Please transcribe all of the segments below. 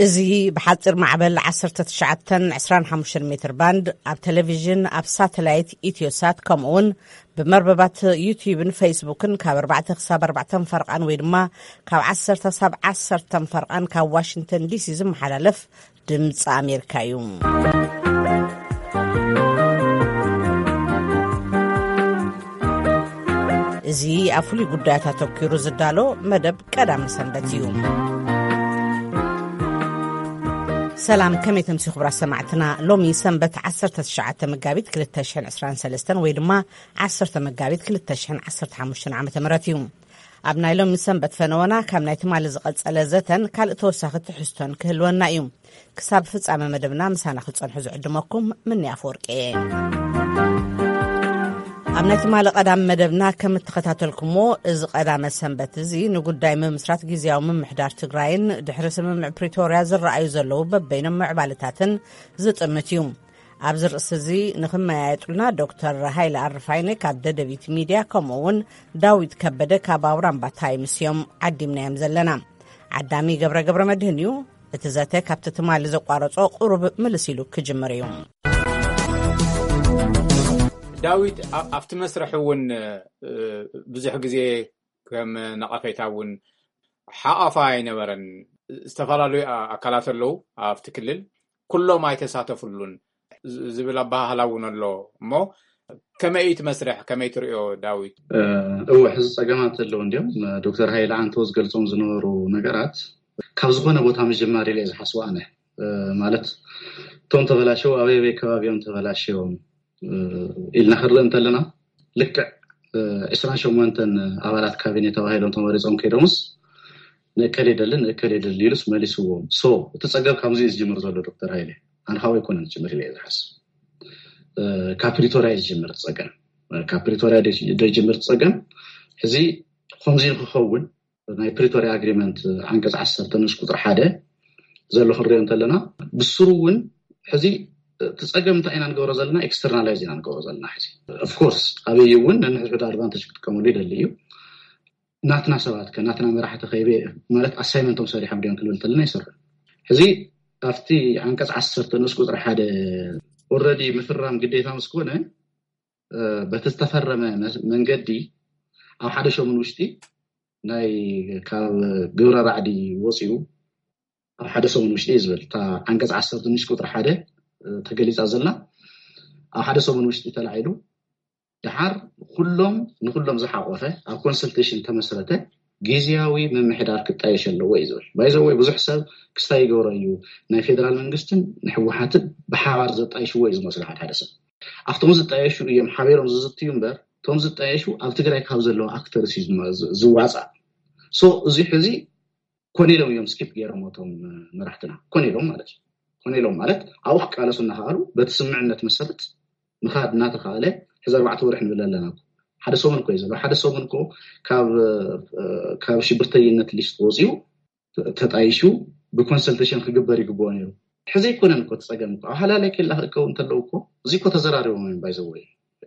እዚ ብሓፂር ማዕበል ዓሰርተ ትሽዓተ ዕስራን ሓሙሽተን ሜትር ባንድ ኣብ ቴሌቪዥን፣ ኣብ ሳተላይት ኢትዮሳት፣ ከምኡ እውን ብመርበባት ዩቲዩብን ፌስቡክን ካብ ኣርባዕተ ክሳብ ኣርባዕተ ፈርቓን ወይ ድማ ካብ ዓሰርተ ክሳብ ዓሰርተ ፈርቓን ካብ ዋሽንግተን ዲሲ ዝመሓላለፍ ድምፂ ኣሜሪካ እዩ። እዚ ኣብ ፍሉይ ጉዳያት ኣተኪሩ ዝዳሎ መደብ ቀዳሚ ሰንበት እዩ። ሰላም፣ ከመይ ተምሲ ክቡራት ሰማዕትና? ሎሚ ሰንበት ዓሰርተ ትሽዓተ መጋቢት ክልተ ሽሕን ዕስራን ሰለስተን ወይ ድማ ዓሰርተ መጋቢት ክልተ ሽሕን ዓሰርተ ሓሙሽተን ዓመተ ምህረት እዩ። ኣብ ናይ ሎሚ ሰንበት ፈነወና ካብ ናይ ትማሊ ዝቐጸለ ዘተን ካልእ ተወሳኺ ትሕዝቶን ክህልወና እዩ። ክሳብ ፍጻመ መደብና ምሳና ክትጸንሑ ዝዕድመኩም ምኒ ኣፈወርቂ እየ። ኣብ ናይ ትማሊ ቀዳም መደብና ከም እተኸታተልኩሞ፣ እዚ ቀዳመ ሰንበት እዚ ንጉዳይ ምምስራት ግዝያዊ ምምሕዳር ትግራይን ድሕሪ ስምምዕ ፕሪቶርያ ዝረኣዩ ዘለዉ በበይኖም ምዕባለታትን ዝጥምት እዩ። ኣብዚ ርእሲ እዚ ንኽመያየጡልና ዶክተር ሃይለ ኣርፋይነ ካብ ደደቢት ሚድያ፣ ከምኡ እውን ዳዊት ከበደ ካብ ኣውራምባ ታይምስ እዮም ዓዲምናዮም ዘለና። ዓዳሚ ገብረ ገብረ መድህን እዩ። እቲ ዘተ ካብቲ ትማሊ ዘቋረጾ ቁሩብ ምልስ ኢሉ ክጅምር እዩ። ዳዊት፣ ኣ-፣ ኣብቲ መስርሕ እውን፣ እ፣ ብዙሕ ግዜ ከም ነቐፌታ እውን ሓቐፋ ኣይነበረን። ዝተፈላለዩ ኣ-፣ ኣካላት ኣለዉ ኣብቲ ክልል፣ ኩሎም ኣይተሳተፉሉን ዝ-፣ ዝብል ኣበሃህላ እውን ኣሎ። እሞ ከመይ እዩ እቲ መስርሕ? ከመይ ትርእዮ ዳዊት? እ፣ እወ፣ ሕዚ ጸገማት ኣለዉ እንዲዮም። ዶክተር ሃይለ ኣንተዎ ዝገልጾም ዝነበሩ ነገራት ካብ ዝኾነ ቦታ ምጅማር ኢለ እየ ዝሓስቦ ኣነ። እ፣ ማለት እቶም ተበላሸው ኣበይ ኣበይ ከባቢ እዮም ተበላሸዮም፣ እ፣ ኢልና ክንርኢ እንተለና፣ ልክዕ፣ እ፣ ዕስራን ሸሞንተን ኣባላት ካቢኔ ተባሂሎም ተመሪጾም ከይዶምስ ንእከሌ ደልን ንእከሌ ደልን ኢሉስ መሊስዎም። ሶ እቲ ጸገም ካብዚ እዩ ዝጅምር ዘሎ ዶክተር ሃይለ። ኣነ ካብኡ ኣይኮነን ዝጅምር ኢለ እየ ዝሓስብ። እ፣ ካብ ፕሪቶርያ እዩ ዝጅምር እቲ ጸገም። እ፣ ካብ ፕሪቶርያ ዶ-፣ ዶ ይጅምር እቲ ጸገም? ሕዚ ከምዚ ንክኸውን ናይ ፕሪቶርያ ኣግሪመንት ዓንቀጽ ዓሰርተ ንኡስ ቁጽሪ ሓደ ዘሎ ክንሪኦ እንተለና፣ ብስሩ እውን ሕዚ እቲ ጸገም እንታይ ኢና ንገብሮ ዘለና? ኤክስተርናላይዝ ኢና ንገብሮ ዘለና። ሕዚ ኦፍኮርስ ኣበይ እውን ነንሕድሕዱ ኣድቫንቴጅ ክጥቀመሉ ይደሊ እዩ። ናትና ሰባት ከ፣ ናትና መራሕቲ ከይበ ማለት ኣሳይመንቶም ሰሪሖም ድዮም ክንብል እንተለና ይሰርሑ። ሕዚ ኣብቲ ዓንቀጽ ዓሰርተ ንኡስ ቁጽሪ ሓደ ኦልረዲ ምፍራም ግዴታ ምስ ኮነ፣ እ፣ በቲ ዝተፈረመ መ-፣ መንገዲ ኣብ ሓደ ሰሙን ውሽጢ ናይ ካብ ግብረ ራዕዲ ወፂኡ ኣብ ሓደ ሰሙን ውሽጢ እዩ ዝብል። እታ ዓንቀጽ ዓሰርተ ንኡስ ቁጽሪ ሓደ፣ እ፣ ተገሊጻ ዘላ ኣብ ሓደ ሰሙን ውሽጢ ተላዒሉ፣ ደሓር ኩሎም፣ ንኩሎም ዝሓቆፈ ኣብ ኮንሰልቴሽን ተመስረተ ግዝያዊ ምምሕዳር ክጣየሽ ኣለዎ እዩ ዝብል። ባይዘወይ ብዙሕ ሰብ ክስታይ ይገብሮ እዩ፣ ናይ ፌደራል መንግስትን ንሕወሓትን ብሓባር ዘጣይሽዎ እዩ ዝመስሉ ሓደ ሓደ ሰብ። ኣብቶም ዝጣየሹ እዮም ሓቢሮም ዝዝትዩ እምበር፣ እቶም ዝጣየሹ ኣብ ትግራይ ካብ ዘለዉ ኣክተርስ እዩ ዝመ-፣ ዝ-፣ ዝዋፃእ። ሶ እዚ ሕዚ ኮነ ኢሎም እዮም ስኪፕ ገይሮም እቶም መራሕትና። ኮነ ኢሎም ማለት እዩ። ኮነ ኢሎም ማለት ኣብኡ ክቃለሱ እናኸኣሉ በቲ ስምምዕነት መሰረት ምኻድ እናተኻእለ፣ ሕዚ ኣርባዕተ ወርሒ ንብል ኣለና እኮ። ሓደ ሰሙን እኮ እዩ ዘሎ። ሓደ ሰሙን እኮ ካብ፣ ካብ ሽብርተኝነት ሊስት ወፂኡ ተጣይሹ ብኮንሰልቴሽን ክግበር ይግብኦ ነይሩ። ሕዚ ኣይኮነን እኮ እቲ ጸገም እኮ። ኣብ ሃላላይ ኬላ ክእከቡ እንተለዉ እኮ፣ እዚ እኮ ተዘራሪቦም እዮም፣ ባይ ዘ ወይ።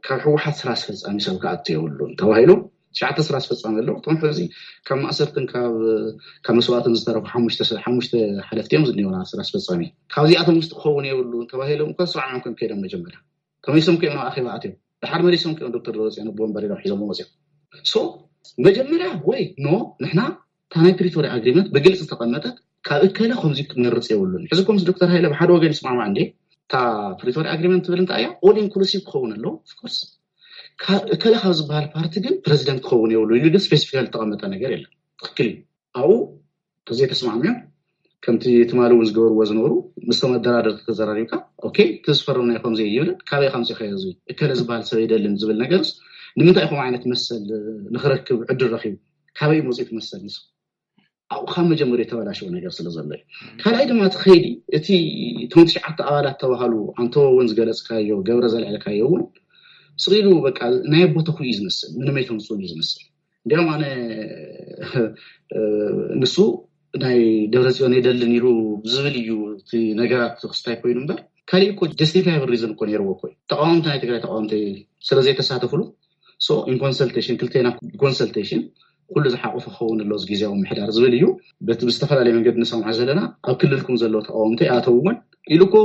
ካብ ህወሓት ስራ ኣስፈጻሚ ሰብ ክኣቱ የብሉን ተባሂሉ፣ ትሽዓተ ስራ ኣስፈጻሚ ኣለዉ። እቶም ሕዚ ካብ ማእሰርትን ካብ፣ ካብ መስዋእትን ዝተረፉ ሓሙሽተ ስ-፣ ሓሙሽተ ሓለፍቲ እዮም ዝኒኦና ስራ ኣስፈጻሚ። ካብዚኣቶም ውሽጢ ክኸውን የብሉን ተባሂሎም እኮ ተስማዕሚዖም ከም ከይዶም መጀመርያ። ተመሊሶም ከዮም ናብ ኣኼባ ኣትዮም። ድሓር መሊሶም ከዮም ዶክተር ደብረጽዮን ኣቦ ወንበር ኢሎም ሒዞም መጽዮም። ሶ መጀመርያ ወይ ኖ፣ ንሕና እታ ናይ ፕሪቶርያ ኣግሪመንት ብግልፂ ዝተቐመጠት ካብ እከለ ከምዚ ክመርፅ የብሉን። ሕዚ ከምዚ ዶክተር ሃይለ ብሓደ ወገን ይስማማዕ እንዴ? እታ ፕሪቶርያ ኣግሪመንት ትብል እንታይ እያ? ኦል ኢንክሉሲቭ ክኸውን ኣለዎ። ኦፍኮርስ እከለ ካብ ዝበሃል ፓርቲ ግን ፕረዚደንት ክኸውን የብሉ ኢሉ ግን ስፔሲፊካሊ ዝተቐመጠ ነገር የለን። ትክክል እዩ። ኣብኡ ተዘይተስማዕምዮም ከምቲ ትማሊ እውን ዝገበርዎ ዝነበሩ ምስቶም ኣደራደርቲ ተዘራሪብካ፣ ኦኬ፣ እቲ ዝፈረምናዮ ከምዚ እዩ ይብል፣ ካበይ ከምፂእካዮ እዚ እከለ ዝበሃል ሰብ ኣይደልን ዝብል ነገርስ፣ ንምንታይ ከምኡ ዓይነት መሰል ንክረክብ ዕድል ረኪቡ? ካበይ መፂኡ እቲ መሰል ንሱ? ኣብኡ ካብ መጀመርያ የተበላሸወ ነገር ስለ ዘሎ እዩ። ካልኣይ ድማ እቲ ከይዲ፣ እቲ እቶም ትሽዓተ ኣባላት ተባሃሉ፣ ኣንተ እውን ዝገለፅካዮ፣ ገብረ ዘልዐልካዮ እውን ስቕ ኢሉ በቃ ናይ ኣቦ ተኽኡ እዩ ዝመስል፣ ምንም ኣይተምፅኡን እዩ ዝመስል። እንዲያውም ኣነ፣ እ፣ ንሱ ናይ ደብረፅዮን የደልን ኢሉ ዝብል እዩ እቲ ነገራት ክስታይ ኮይኑ እምበር፣ ካሊእ እኮ ጀስቲፋይብል ሪዝን እኮ ነይርዎ እኮ እዩ። ተቃወምቲ ናይ ትግራይ ተቃወምቲ ስለዘይተሳተፍሉ፣ so in consultation፣ ክልቴና ኮንሰልቴሽን ኩሉ ዝሓቆፈ ክኸውን ኣለዎ ግዜያዊ ምሕዳር ዝብል እዩ። በቲ ብዝተፈላለየ መንገዲ ንሰምዖ ዘለና፣ ኣብ ክልልኩም ዘለዉ ተቃወምቲ ኣተውዎን ኢሉ እኮ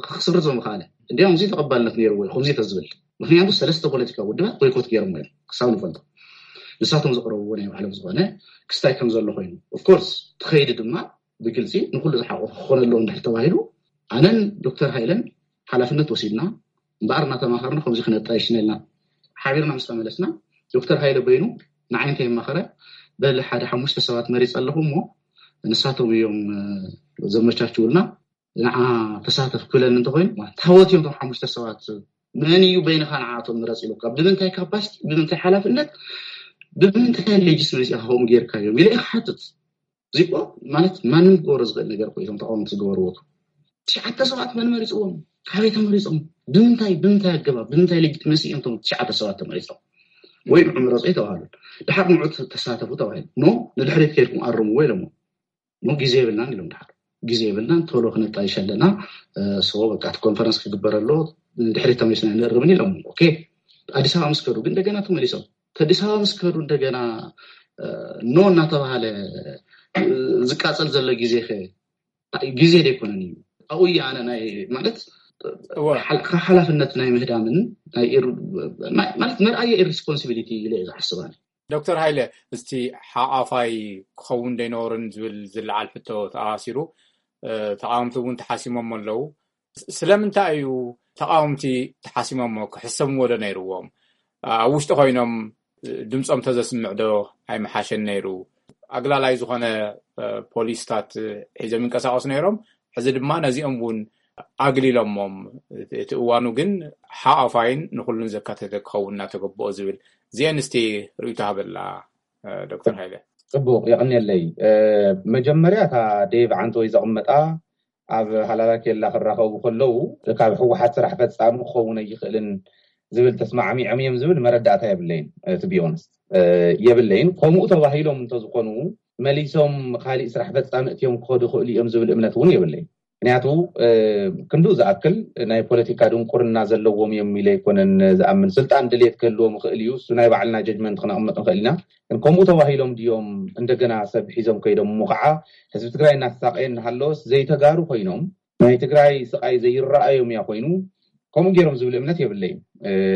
ክስርዞም ምኽኣለ። እንዲያውም እዚ ተቐባልነት ነይርዎ እዩ ከምዚ ተዝብል። ምክንያቱ ሰለስተ ፖለቲካዊ ውድባት ቦይኮት ገይሮም እዮም ክሳብ ንፈልጦ። ንሳቶም ዘቕረብዎ ናይ ባዕሎም ዝኾነ ክስታይ ከም ዘሎ ኮይኑ፣ ኦፍኮርስ ትኸይዲ ድማ ብግልፂ ንኩሉ ዝሓቆፈ ክኾነ ኣለዎ እንድሕር ተባሂሉ፣ ኣነን ዶክተር ሃይለን ሓላፍነት ወሲድና እምበኣር እናተማኸርና ከምዚ ክነጣይሽ ነልና ሓቢርና ምስ ተመለስና፣ ዶክተር ሃይለ በይኑ ንዓይ እንተየማኸረ፣ በሊ ሓደ ሓሙሽተ ሰባት መሪፅ ኣለኹ እሞ ንሳቶም እዮም ዘመቻችውልና፣ ንዓ ተሳተፍ ክብለኒ እንተኮይኑ፣ ታወት እዮም እቶም ሓሙሽተ ሰባት? መን እዩ በይንኻ ንዓቶም ምረፅ ኢሉካ? ብምንታይ ካፓሲቲ፣ ብምንታይ ሓላፍነት፣ ብምንታይ ሌጅስመሲ ኢኻ ከምኡ ጌርካዮም ኢለ ክሓትት? እዚኮ ማለት ማንም ክገብሮ ዝኽእል ነገር እኮ እቶም ተቃወምቲ ዝገበርዎ። ትሽዓተ ሰባት መን መሪፅዎም? ካበይ ተመሪፆም? ብምንታይ ብምንታይ ኣገባብ ብምንታይ ሌጂትመሲ እዮም እቶም ትሽዓተ ሰባት ተመሪፆም? ወይ ንዑ ምረፁ የተባሃሉ፣ ድሓር ንዑ ተሳተፉ ተባሂሉ፣ ኖ፣ ንድሕሪት ከይድኩም ኣርምዎ ኢሎሞ። ኖ፣ ግዜ የብልናን ኢሎም ድሓር። ግዜ የብልናን፣ ቶሎ ክነጣይሽ ኣለና። ሶ በቃ እቲ ኮንፈረንስ ክግበር ኣሎ፣ ንድሕሪት ተመሊስና ንእርምን ኢሎም። ኦኬ፣ ኣዲስ ኣበባ ምስ ከዱ ግን እንደገና ተመሊሶም፣ ኣዲስ ኣበባ ምስ ከዱ እንደገና ኖ እናተባሃለ ዝቃፀል ዘሎ ግዜ ከ ግዜ ደይኮነን እዩ። ኣብኡ እዩ ኣነ ናይ ማለት ሓላፍነት ናይ ምህዳምን ማለት መርኣየ ኢሪስፖንሲቢሊቲ ኢለ እየ ዝሓስብ ኣነ። ዶክተር ሃይለ፣ እስቲ ሓቋፋይ ክኸውን ደይነበሩን ዝብል ዝለዓል ሕቶ ተኣሲሩ፣ ተቃወምቲ እውን ተሓሲሞም ኣለዉ። ስለምንታይ እዩ ተቃወምቲ ተሓሲሞሞ? ክሕሰምዎ ዶ ነይርዎም? ኣብ ውሽጢ ኮይኖም ድምፆም ተዘስምዕ ዶ ኣይምሓሸን ነይሩ? ኣግላላይ ዝኾነ ፖሊስታት ሒዞም ይንቀሳቀሱ ነይሮም። ሕዚ ድማ ነዚኦም እውን ኣግሊሎሞም፣ እቲ እዋኑ ግን ሓቋፋይን ንኩሉን ዘካተተ ክኸውን እናተገበኦ ዝብል፣ እዚአን እስቲ ርእይቶ ሃበላ ዶክተር ሃይለ። ፅቡቅ፣ የቀንየለይ። መጀመርያ እታ ዴቭ ዓንተወይ ዘቕመጣ ኣብ ሃላላ ኬላ ክራኸቡ ከለዉ ካብ ህወሓት ስራሕ ፈፃሚ ክኸውን ኣይኽእልን ዝብል ተስማዕሚዖም እዮም ዝብል መረዳእታ የብለይን። እቲ ቢዮንስ የብለይን። ከምኡ ተባሂሎም እንተዝኾኑ መሊሶም ካሊእ ስራሕ ፈፃሚ እትዮም ክኸዱ ይኽእሉ እዮም ዝብል እምነት እውን የብለይን። ምክንያቱ ክንዱ ዝኣክል ናይ ፖለቲካ ድንቁርና ዘለዎም እዮም ኢለ ኣይኮነን ዝኣምን። ስልጣን ድሌት ክህልዎም ይኽእል እዩ፣ እሱ ናይ ባዕልና ጀጅመንት ክነቕምጥ ንኽእል ኢና። ግን ከምኡ ተባሂሎም ድዮም እንደገና ሰብ ሒዞም ከይዶም እሞ ከዓ ህዝቢ ትግራይ እናተሳቀየ እናሃለወስ ዘይተጋሩ ኮይኖም ናይ ትግራይ ስቃይ ዘይረኣዮም እያ ኮይኑ ከምኡ ገይሮም ዝብል እምነት የብለይን።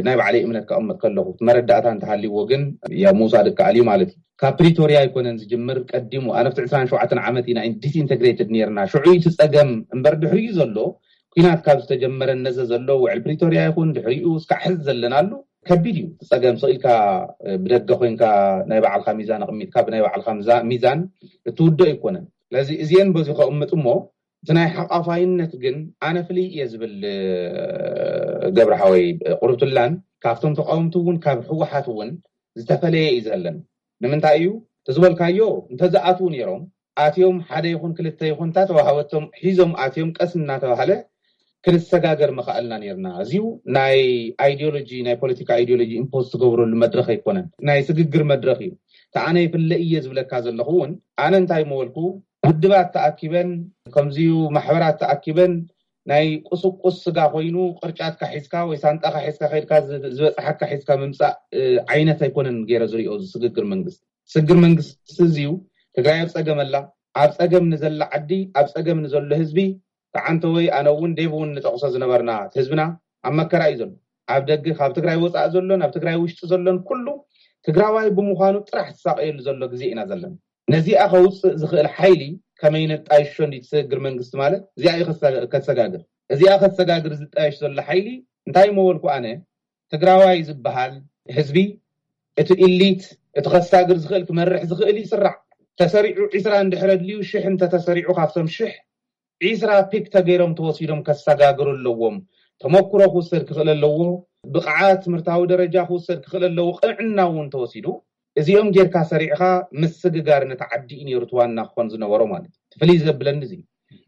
ናይ ባዕለይ እምነት ከቐምጥ ከለኹ መረዳእታ እንተሃልይዎ ግን ያ ምውሳድ እከኣል እዩ ማለት እዩ። ካብ ፕሪቶሪያ ኣይኮነን ዝጅምር፣ ቀዲሙ ኣነ ብቲ ዕስራን ሸውዓተን ዓመት ኢና ዲስኢንተግሬትድ ነርና። ሽዑ እቲ ፀገም እምበር ድሕሪኡ ዘሎ ኩናት ካብ ዝተጀመረ ነዘ ዘሎ ውዕል ፕሪቶሪያ ይኹን ድሕሪኡ እስካዕ ሕዚ ዘለናሉ ከቢድ እዩ። እቲ ፀገም ስቕ ኢልካ ብደገ ኮይንካ ናይ ባዕልካ ሚዛን ኣቕሚጥካ ብናይ ባዕልካ ሚዛን እትውዶ ኣይኮነን። ስለዚ እዚአን በዚ ከቕምጥ እሞ እቲ ናይ ሓቋፋይነት ግን ኣነ ፍልይ እየ ዝብል ገብረ ሓወይ ቁርብትላን ካብቶም ተቃወምቲ እውን ካብ ህወሓት እውን ዝተፈለየ እዩ ዘለን። ንምንታይ እዩ ተዝበልካዮ እንተዝኣትዉ ነይሮም ኣትዮም ሓደ ይኹን ክልተ ይኹን እንተተዋሃበቶም ሒዞም ኣትዮም ቀስ እናተባሃለ ክንሰጋገር መኽኣልና ነርና። እዚው ናይ ኣይዲዮሎጂ ናይ ፖለቲካ ኣይዲዮሎጂ ኢምፖዝ ትገብረሉ መድረኽ ኣይኮነን፣ ናይ ስግግር መድረኽ እዩ። ተኣነ ይፍለ እየ ዝብለካ ዘለኹ እውን ኣነ እንታይ መበልኩ ውድባት ተኣኪበን ከምዚዩ ማሕበራት ተኣኪበን ናይ ቁስቁስ ስጋ ኮይኑ ቅርጫትካ ሒዝካ ወይ ሳንጣካ ሒዝካ ከድካ ዝበፅሓካ ሒዝካ ምምፃእ ዓይነት ኣይኮነን ገይረ ዝሪኦ ስግግር መንግስቲ። ስግግር መንግስቲ እዚዩ ትግራይ ኣብ ፀገም ኣላ። ኣብ ፀገም ንዘላ ዓዲ ኣብ ፀገም ንዘሎ ህዝቢ ተዓንተ ወይ ኣነ እውን ዴቭ እውን ንጠቕሶ ዝነበርና ህዝብና ኣብ መከራ እዩ ዘሎ። ኣብ ደገ ካብ ትግራይ ወፃእ ዘሎን ኣብ ትግራይ ውሽጢ ዘሎን ኩሉ ትግራዋይ ብምዃኑ ጥራሕ ዝሳቀየሉ ዘሎ ግዜ ኢና ዘለና። ነዚኣ ከውፅእ ዝኽእል ሓይሊ ከመይ ነጣይሾ እንዲ ትስግር መንግስቲ ማለት እዚኣ እዩ ከሰጋግር። እዚኣ ከሰጋግር ዝጣየሽ ዘሎ ሓይሊ እንታይ መበልኩ ኣነ ትግራዋይ ዝበሃል ህዝቢ እቲ ኢሊት እቲ ከሳግር ዝኽእል ክመርሕ ዝኽእል ይስራዕ። ተሰሪዑ ዒስራ እንድሕረ ድልዩ ሽሕ እንተተሰሪዑ ካብቶም ሽሕ ዒስራ ፒክ ተገይሮም ተወሲዶም ከሰጋግሩ ኣለዎም። ተመክሮ ክውሰድ ክኽእል ኣለዎ። ብቕዓት ትምህርታዊ ደረጃ ክውሰድ ክኽእል ኣለዎ። ቅንዕና እውን ተወሲዱ እዚኦም ጌርካ ሰሪዕኻ ምስግጋር ነቲ ዓዲ እዩ ነይሩ እቲ ዋና ክኾን ዝነበሮ ማለት እዩ። ፍልይ ዘብለኒ እዚ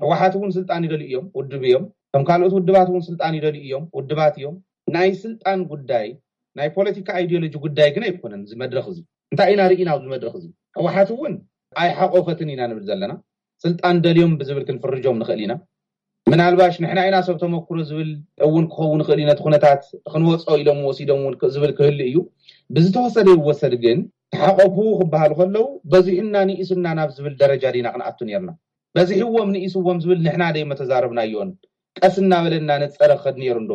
ህወሓት እውን ስልጣን ይደልዩ እዮም፣ ውድብ እዮም። ከም ካልኦት ውድባት እውን ስልጣን ይደልዩ እዮም፣ ውድባት እዮም። ናይ ስልጣን ጉዳይ ናይ ፖለቲካ ኣይዲዮሎጂ ጉዳይ ግን ኣይኮነን። እዚ መድረኽ እዚ እንታይ ኢና ርኢና ኣብዚ መድረኽ እዚ ህወሓት እውን ኣይሓቆፈትን ኢና ንብል ዘለና። ስልጣን ደልዮም ብዝብል ክንፍርጆም ንኽእል ኢና። ምናልባሽ ንሕና ኢና ሰብ ተመክሮ ዝብል እውን ክኸውን ይኽእል እዩ። ነቲ ኩነታት ክንወጾ ኢሎም ወሲዶም እውን ዝብል ክህሉ እዩ። ብዝተወሰደ ይወሰድ ግን ተሓቆፉ ክበሃሉ ከለዉ በዚሕና ንኢስና ናብ ዝብል ደረጃ ዲና ክንኣቱ ነርና? በዚሕዎም ንኢስዎም ዝብል ንሕና ደይ መተዛረብናዮን ቀስ እናበለና ነፀረ ክኸድ ነይሩ እንዶ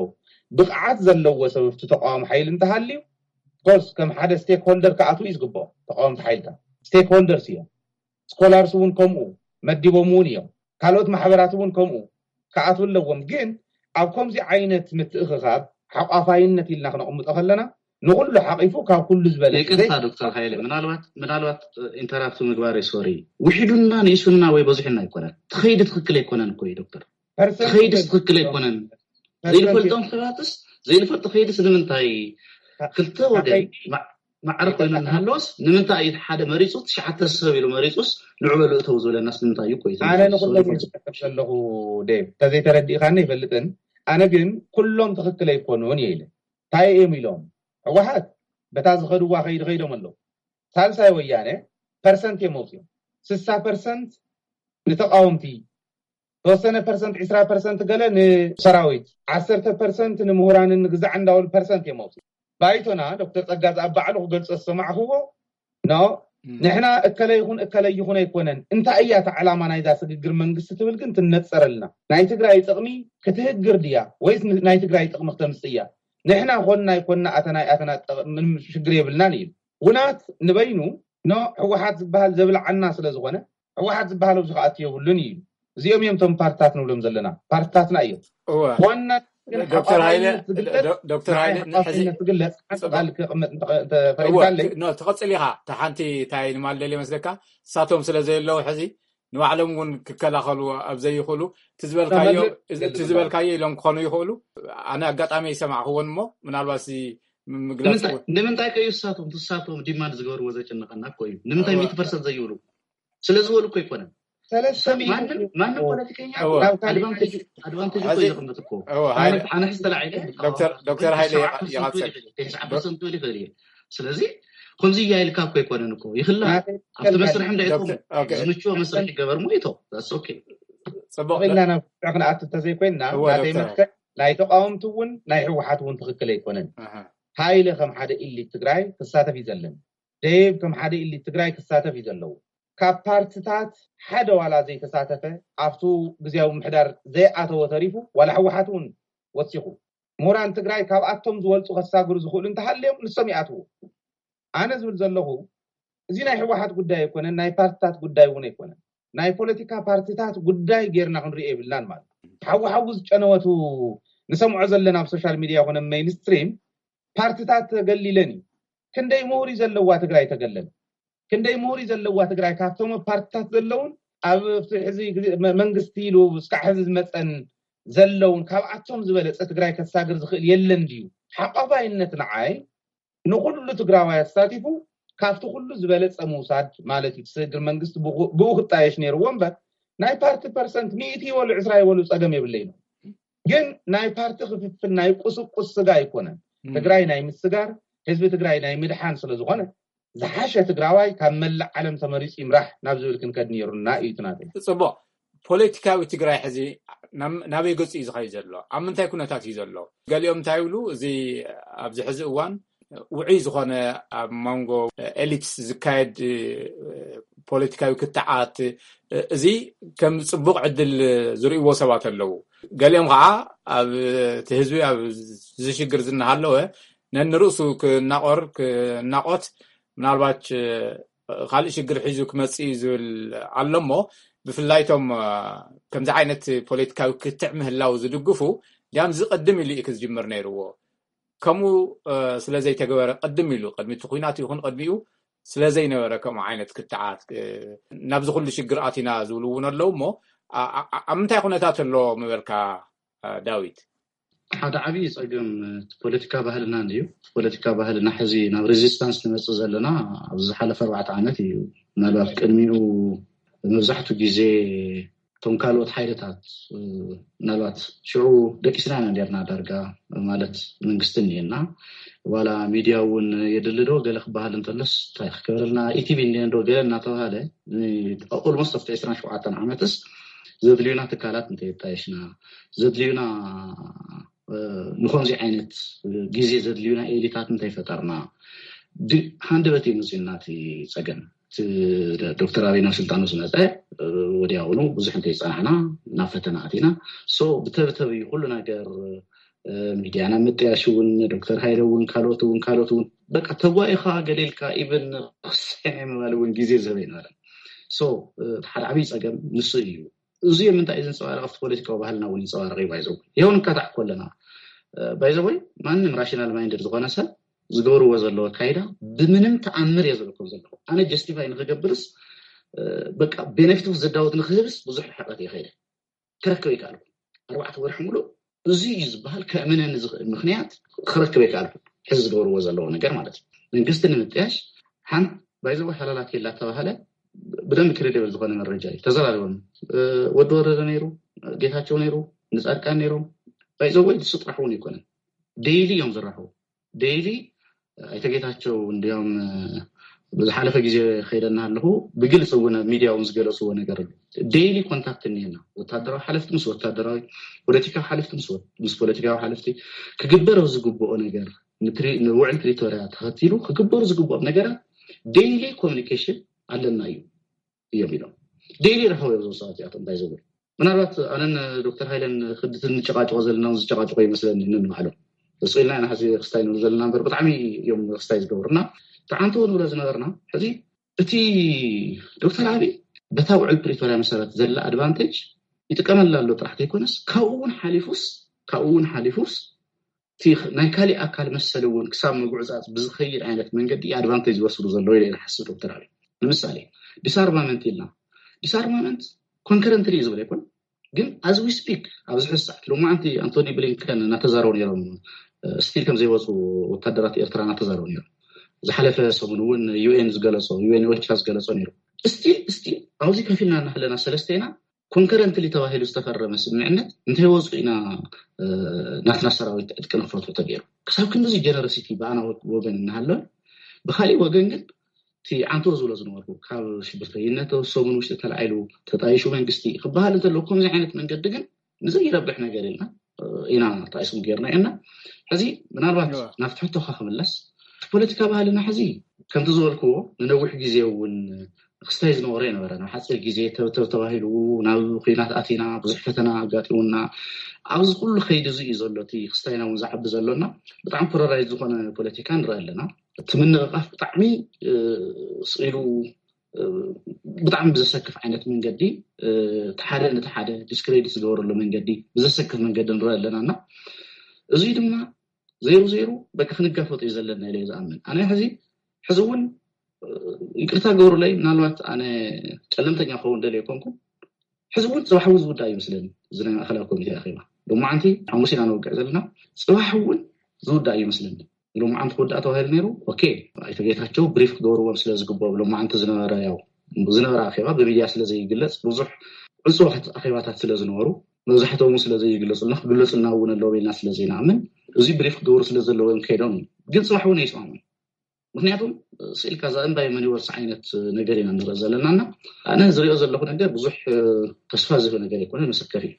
ብቕዓት ዘለዎ ሰብ ኣብቲ ተቃዋሚ ሓይሊ እንተሃልዩ ኮርስ ከም ሓደ ስቴክሆልደር ክኣትዉ እዩ ዝግብኦ። ተቃወምቲ ሓይልታት ስቴክሆልደርስ እዮም። ስኮላርስ እውን ከምኡ መዲቦም እውን እዮም። ካልኦት ማሕበራት እውን ከምኡ ክኣትዉ ኣለዎም። ግን ኣብ ከምዚ ዓይነት ምትእኽኻብ ሓቋፋይነት ኢልና ክነቕምጦ ከለና ንኩሉ ሓቂፉ ካብ ኩሉ ዝበለ ይቅርታ ዶክተር ሃይለ፣ ምናልባት ምናልባት ኢንተራፕት ምግባር ሶሪ፣ ውሒዱና ንኢሱና ወይ በዚሑና ኣይኮነን። ትኸይዲ ትኽክል ኣይኮነን እኮ እዩ ዶክተር። ትኸይድስ ትኽክል ኣይኮነን። ዘይንፈልጦም ሰባትስ ዘይንፈልጦ ከይድስ ንምንታይ ክልተ ወገን ማዕረ ኮይኑ እናሃለወስ ንምንታይ እዩ ሓደ መሪፁ ትሽዓተ ሰብ ኢሉ መሪፁስ ንዑ በሉ እተው ዝበለናስ ንምንታይ እዩ? ቆይ ኣነ ንኩሎም ዘለኹ ዴቭ፣ ተዘይተረዲእኻኒ ይፈልጥን። ኣነ ግን ኩሎም ትኽክል ኣይኮኑን እየ ኢለ። እንታይ እዮም ኢሎም? ህወሓት በታ ዝኸድዋ ከይዲ ከይዶም ኣለዉ። ሳልሳይ ወያነ ፐርሰንት እዮም ኣውፅኦም። ስሳ ፐርሰንት ንተቃወምቲ፣ ተወሰነ ፐርሰንት፣ ዕስራ ፐርሰንት ገለ ንሰራዊት፣ ዓሰርተ ፐርሰንት ንምሁራንን ንግዛዕ እንዳበሉ ፐርሰንት እዮም ኣውፅኦም። ባይቶና ዶክተር ፀጋ ዝኣብ ባዕሉ ክገልፆ ዝሰማዕክዎ ኖ ንሕና እከለ ይኹን እከለ ይኹን ኣይኮነን። እንታይ እያ እታ ዕላማ ናይዛ ስግግር መንግስቲ ትብል ግን ትነፀረልና። ናይ ትግራይ ጥቕሚ ክትህግር ድያ ወይስ ናይ ትግራይ ጥቕሚ ክተምፅእ እያ? ንሕና ኮንና ኣይኮንና ኣተና ኣይኣተና ምንም ሽግር የብልናን እዩ። ውናት ንበይኑ ኖ ህወሓት ዝበሃል ዘብልዓና ስለ ዝኾነ ህወሓት ዝበሃል ኣብዚ ክኣቱ የብሉን እዩ። እዚኦም እዮም እቶም ፓርትታት ንብሎም ዘለና ፓርትታትና እዮም። ኮና ዶክተር ሃይለ ዶክተር ሃይለ ዝግለጽ ሓንጣል ክቕመጥ ተፈሪዳለይ። ትቐፅል ኢኻ። እታ ሓንቲ እንታይ ንማል ደልየ መስለካ እሳቶም ስለ ዘየለዉ ሕዚ ንባዕሎም እውን ክከላኸሉ ኣብ ዘይኽእሉ እቲ ዝበልካዮ ኢሎም ክኾኑ ይኽእሉ። ኣነ ኣጋጣሚ ይሰማዕክዎን እሞ ምናልባት ምግላፅ ንምንታይ ከዩ እሳቶም ትሳቶም ዲማንድ ዝገብርዎ ዘጨነቀና እኮ እዩ። ንምንታይ ሚእቲ ፐርሰንት ዘይብሉ ስለ ዝበሉ እኮ ኣይኮነን። ማንም ፖለቲከኛ ኣድቫንቴጅ እኮ እዩ ዘቕምጥ እኮ። ኣነ ሕዚ ተላዒለ ዶክተር ሃይለ ይቐፅል። ፐርሰንት ይኽእል እየ። ስለዚ ከምዚ እያ ኢልካ እኮ ኣይኮነን እኮ ይኽላ ኣብቲ መስርሕ እንዳይኮም ዝምችዎ መስርሕ ይገበር ሞ ይቶ ኦኬ ፅቡቅ ኢልና ናብ ክንኣቱ እንተዘይኮይንና ናተይ መትከል ናይ ተቃወምቲ እውን ናይ ህወሓት እውን ትኽክል ኣይኮነን። ሃይለ ከም ሓደ ኢሊት ትግራይ ክሳተፍ እዩ ዘለን። ደይብ ከም ሓደ ኢሊት ትግራይ ክሳተፍ እዩ ዘለዎ። ካብ ፓርትታት ሓደ ዋላ ዘይተሳተፈ ኣብቱ ግዜያዊ ምሕዳር ዘይኣተወ ተሪፉ ዋላ ህወሓት እውን ወሲኹ ምሁራን ትግራይ ካብኣቶም ዝበልፁ ከሳግሩ ዝኽእሉ እንተሃልዮም ንሶም ይኣትዉ። ኣነ ዝብል ዘለኹ እዚ ናይ ህወሓት ጉዳይ ኣይኮነን፣ ናይ ፓርትታት ጉዳይ እውን ኣይኮነን። ናይ ፖለቲካ ፓርትታት ጉዳይ ጌርና ክንሪኦ የብልናን ማለት ሓዊ ሓዊ ዝጨነወቱ ንሰምዖ ዘለና ኣብ ሶሻል ሚድያ ይኮነ ሜይንስትሪም ፓርትታት ተገሊለን እዩ። ክንደይ ምሁር እዩ ዘለዋ ትግራይ ተገለል ክንደይ ምሁር እዩ ዘለዋ ትግራይ ካብቶም ፓርትታት ዘለውን ኣብ ሕዚ መንግስቲ ኢሉ እስካዕ ሕዚ ዝመፀን ዘለውን ካብኣቶም ዝበለፀ ትግራይ ከሳግር ዝኽእል የለን ድዩ? ሓቋፋይነት ንዓይ ንኩሉ ትግራዋይ ኣሳቲፉ ካብቲ ኩሉ ዝበለፀ ምውሳድ ማለት እዩ። ስግግር መንግስቲ ብኡ ክጣየሽ ነይርዎ እምበር ናይ ፓርቲ ፐርሰንት ሚእቲ ይበሉ ዕስራ ይበሉ ፀገም የብለይ ነው። ግን ናይ ፓርቲ ክፍፍል ናይ ቁስቁስ ስጋ ኣይኮነን። ትግራይ ናይ ምስጋር ህዝቢ ትግራይ ናይ ምድሓን ስለዝኾነ ዝሓሸ ትግራዋይ ካብ መላእ ዓለም ተመሪፁ ይምራሕ ናብ ዝብል ክንከድ ነይሩና እዩ ትናተይ። ፅቡቅ ፖለቲካዊ ትግራይ ሕዚ ናበይ ገፁ እዩ ዝኸይ ዘሎ? ኣብ ምንታይ ኩነታት እዩ ዘሎ? ገሊኦም እንታይ ይብሉ? እዚ ኣብዚ ሕዚ እዋን ውዑይ ዝኾነ ኣብ መንጎ ኤሊትስ ዝካየድ ፖለቲካዊ ክትዓት እዚ ከም ፅቡቅ ዕድል ዝርእዎ ሰባት ኣለዉ። ገሊኦም ከዓ ኣብ እቲ ህዝቢ ኣብ ዝሽግር ዝናሃለወ ነንርእሱ ክናቆር ክናቆት ምናልባት ካልእ ሽግር ሒዙ ክመፅእ እዩ ዝብል ኣሎ እሞ ብፍላይቶም ከምዚ ዓይነት ፖለቲካዊ ክትዕ ምህላው ዝድግፉ ዲያም ዝቅድም ኢሉ እዩ ክዝጅምር ነይርዎ። ከምኡ ስለዘይተገበረ ቅድም ኢሉ ቅድሚ እቲ ኩናት ይኹን ቅድሚኡ ስለዘይነበረ ከምኡ ዓይነት ክትዓት ናብዚ ኩሉ ሽግር ኣቲና ዝብሉ እውን ኣለዉ እሞ ኣብ ምንታይ ኩነታት ኣሎ ምበልካ ዳዊት? ሓደ ዓብዪ ፀገም ፖለቲካ ባህልና እንድዩ። ፖለቲካ ባህልና ሕዚ ናብ ሬዚስታንስ ንመፅእ ዘለና ኣብዚ ዝሓለፈ ኣርባዕተ ዓመት እዩ። ምናልባት ቅድሚኡ መብዛሕቱ ግዜ እቶም ካልኦት ሓይልታት ምናልባት ሽዑ ደቂስና ኢና ነርና ዳርጋ፣ ማለት መንግስቲ እኒኤና፣ ዋላ ሚድያ እውን የድሊ ዶ ገለ ክበሃል እንተሎስ እንታይ ክገብረልና፣ ኢቲቪ እኒኤ ዶ ገለ እናተባሃለ ኦልሞስት ኣብቲ ዕስራን ሸውዓተን ዓመትስ ዘድልዩና ትካላት እንተየጣየሽና፣ ዘድልዩና ንኸምዚ ዓይነት ግዜ ዘድልዩና ኤሊታት እንተይፈጠርና፣ ሃንደበት እዩ መፅዩና እቲ ፀገም። ዶክተር ኣበይ ናብ ስልጣኑ ዝመፀ ወዲያውኑ ብዙሕ እንተይፀናሕና ናብ ፈተና ኣቲና። ብተብተብ እዩ ኩሉ ነገር። ሚድያ ናብ ምጥያሽ እውን፣ ዶክተር ሃይለ እውን፣ ካልኦት እውን ካልኦት እውን በቃ ተጓኢኻ ገሊልካ ኢቨን ክስሐ ምባል እውን ግዜ ዝህበ ይነበረ። ሓደ ዓብይ ፀገም ንሱ እዩ። እዚ ምንታይ እዩ ዘንፀባርቕ ኣብቲ ፖለቲካዊ ባህልና እውን ይንፀባረቕ እዩ። ባይዘው ይኸውን እንካታዕ ከለና ባይዘወይ ማንም ራሽናል ማይንድድ ዝኾነ ሰብ ዝገብርዎ ዘለዎ ኣካይዳ ብምንም ተኣምር እየ ዝረከብ ዘለኹ። ኣነ ጀስቲፋይ ንክገብርስ በቃ ቤነፊት ዘዳወት ንክህብስ ብዙሕ ሕቀት እየ ከይደ ክረክብ ይከኣልኩ። ኣርባዕተ ወርሒ ሙሉእ እዚ እዩ ዝበሃል ከእምነኒ ዝኽእል ምክንያት ክረክብ ይከኣልኩ። ሕዚ ዝገብርዎ ዘለዎ ነገር ማለት እዩ መንግስቲ ንምጥያሽ ሓንቲ ባይዘወ ሓላላት የላ ተባሃለ ብደንብ ክሬዲብል ዝኾነ መረጃ እዩ ተዘራሪቦም። ወዲ ወረደ ነይሩ፣ ጌታቸው ነይሩ፣ ንፃድቃን ነይሮም። ባይዘወይ ንሱ ጥራሕ እውን ኣይኮነን፣ ዴይሊ እዮም ዝራኸቡ። ዴይሊ ኣይተ ጌታቸው እንዲያውም ብዝሓለፈ ግዜ ከይደና ኣለኹ ብግልፂ እውን ኣብ ሚድያ እውን ዝገለፅዎ ነገር ኣሎ። ዴይሊ ኮንታክት እኒና ወታደራዊ ሓለፍቲ ምስ ወታደራዊ፣ ፖለቲካዊ ሓለፍቲ ምስ ፖለቲካዊ ሓለፍቲ ክግበር ዝግብኦ ነገር ንውዕል ፕሪቶሪያ ተኸቲሉ ክግበሩ ዝግብኦም ነገራት ዴይሊ ኮሚኒኬሽን ኣለና እዩ እዮም ኢሎም። ዴይሊ ረኸቡ እዮም እዞም ሰባት እዚኣቶም እንታይ ዝብል ምናልባት ኣነን ዶክተር ሃይለን ክድትን ንጨቃጭቆ ዘለና ዝጨቃጭቆ ይመስለኒ ንንባዕሎም። እሱ ኢልና ኢና ሕዚ ክስታይ ንብሉ ዘለና እምበር ብጣዕሚ እዮም ክስታይ ዝገብሩና። ተዓንቶ ንብሎ ዝነበርና ሕዚ እቲ ዶክተር ኣብይ በታ ውዕል ፕሪቶሪያ መሰረት ዘላ ኣድቫንቴጅ ይጥቀመላ ኣሎ ጥራሕ ዘይኮነስ ካብኡ እውን ሓሊፉስ ካብኡ እውን ሓሊፉስ ናይ ካሊእ ኣካል መሰል እውን ክሳብ ምግዕፃፅ ብዝኸይድ ዓይነት መንገዲ ኣድቫንቴጅ ዝወስዱ ዘለዉ ኢለ ይሓስብ ዶክተር ኣብይ። ንምሳሌ ዲስኣርማመንት ኢልና ዲስኣርማመንት ኮንከረንትሊ እዩ ዝብል ኣይኮን ግን ኣዝ ዊ ስፒክ ኣብዚ ሕዚ ሰዓት ሎማዓንቲ ኣንቶኒ ብሊንከን እናተዛረቡ ነይሮም። ስቲል ከም ዘይወፁ ወታደራት ኤርትራ እናተዛረቡ ነይሮም። ዝሓለፈ ሰሙን እውን ዩኤን ዝገለፆ ዩኤን ኦቻ ዝገለፆ ነይሩ። ስቲል ስቲል ኣብዚ ከፊልና እናሃለና ሰለስተ ኢና ኮንከረንትሊ ተባሂሉ ዝተፈረመ ስምምዕነት እንተይወፁ ኢና ናትና ሰራዊት ዕጥቂ ንክፈትሑ ተገይሩ። ክሳብ ክንድዚ ጀነረሲቲ ብኣና ወገን እናሃለወ ብካሊእ ወገን ግን እቲ ዓንቶ ዝብሎ ዝነበርኩ ካብ ሽብርተይነት ሰሙን ውሽጢ ተላዒሉ ተጣይሹ መንግስቲ ክበሃል እንተለዉ ከምዚ ዓይነት መንገዲ ግን ንዘይረብሕ ነገር ኢልና ኢና ተኣይስኩም ገይርና ኢና። ሕዚ ምናልባት ናብቲ ሕቶካ ክምለስ እቲ ፖለቲካ ባህልና ሕዚ ከምቲ ዝበልክዎ ንነዊሕ ግዜ እውን ክስታይ ዝነበሮ የነበረ ናብ ሓፂር ግዜ ተብተብ ተባሂሉ ናብ ኩናት ኣቲና ብዙሕ ፈተና ኣጋጢሙና ኣብዚ ኩሉ ከይዲ እዚ እዩ ዘሎ እቲ ክስታይና እውን ዝዓቢ ዘሎና ብጣዕሚ ፖለራይዝ ዝኾነ ፖለቲካ ንርኢ ኣለና። እቲ ምንቕቃፍ ብጣዕሚ ስኢሉ ብጣዕሚ ብዘሰክፍ ዓይነት መንገዲ ሓደ ነቲ ሓደ ዲስክሬዲት ዝገበረሉ መንገዲ ብዘሰክፍ መንገዲ ንርኢ ኣለና እና እዚ ድማ ዘይሩ ዘይሩ በቂ ክንጋፈጡ እዩ ዘለና ኢለ ዝኣምን ኣነ ሕዚ ሕዚ እውን ይቅርታ ገብሩለይ ምናልባት ኣነ ጨለምተኛ ክኸውን ደልየ ኮንኩ ሕዚ እውን ፅባሕ እውን ዝውዳእ ይመስለኒ እዚ ናይ ማእከላዊ ኮሚቴ ኣኼባ ሎማዓንቲ ሓሙስ ኢና ንወቅዕ ዘለና ፅባሕ እውን ዝውዳእ ይመስለኒ ሎማዓንቲ ክውዳእ ተባሂሉ ነይሩ ኦኬ ኣይተ ጌታቸው ብሪፍ ክገብርዎም ስለ ዝግብኦም ሎማዓንቲ ዝነበረ ያው ዝነበረ ኣኼባ ብሚድያ ስለ ዘይግለፅ ብዙሕ ዕፁዋት ኣኼባታት ስለ ዝነበሩ መብዛሕትኦም ስለ ዘይግለፁልና ክግለፁልና እውን ኣለዎም ኢልና ስለ ዘይንኣምን እዚ ብሪፍ ክገብሩ ስለ ዘለዎም ከይዶም ግን ፅባሕ እውን ኣይስማሙን ምክንያቱም ስኢልካ እዛ እምባይ መን ይወርስ ዓይነት ነገር ኢና ንርኢ ዘለና እና ኣነ ዝሪኦ ዘለኹ ነገር ብዙሕ ተስፋ ዝህብ ነገር ኣይኮነ መሰከፍ እዩ።